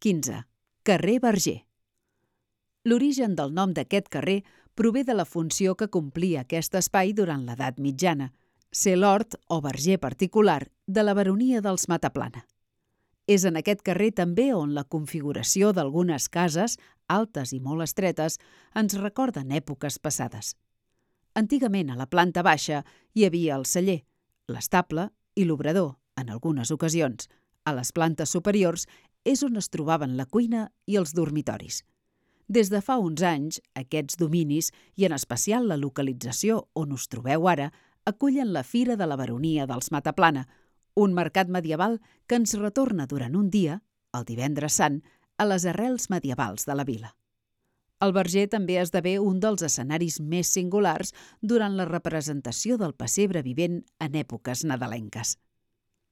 15. Carrer Verger. L'origen del nom d'aquest carrer prové de la funció que complia aquest espai durant l'edat mitjana, ser l'hort o verger particular de la baronia dels Mataplana. És en aquest carrer també on la configuració d'algunes cases, altes i molt estretes, ens recorden èpoques passades. Antigament a la planta baixa hi havia el celler, l'estable i l'obrador, en algunes ocasions. A les plantes superiors és on es trobaven la cuina i els dormitoris. Des de fa uns anys, aquests dominis, i en especial la localització on us trobeu ara, acullen la Fira de la Baronia dels Mataplana, un mercat medieval que ens retorna durant un dia, el Divendres Sant, a les arrels medievals de la vila. El Verger també esdevé un dels escenaris més singulars durant la representació del pessebre vivent en èpoques nadalenques.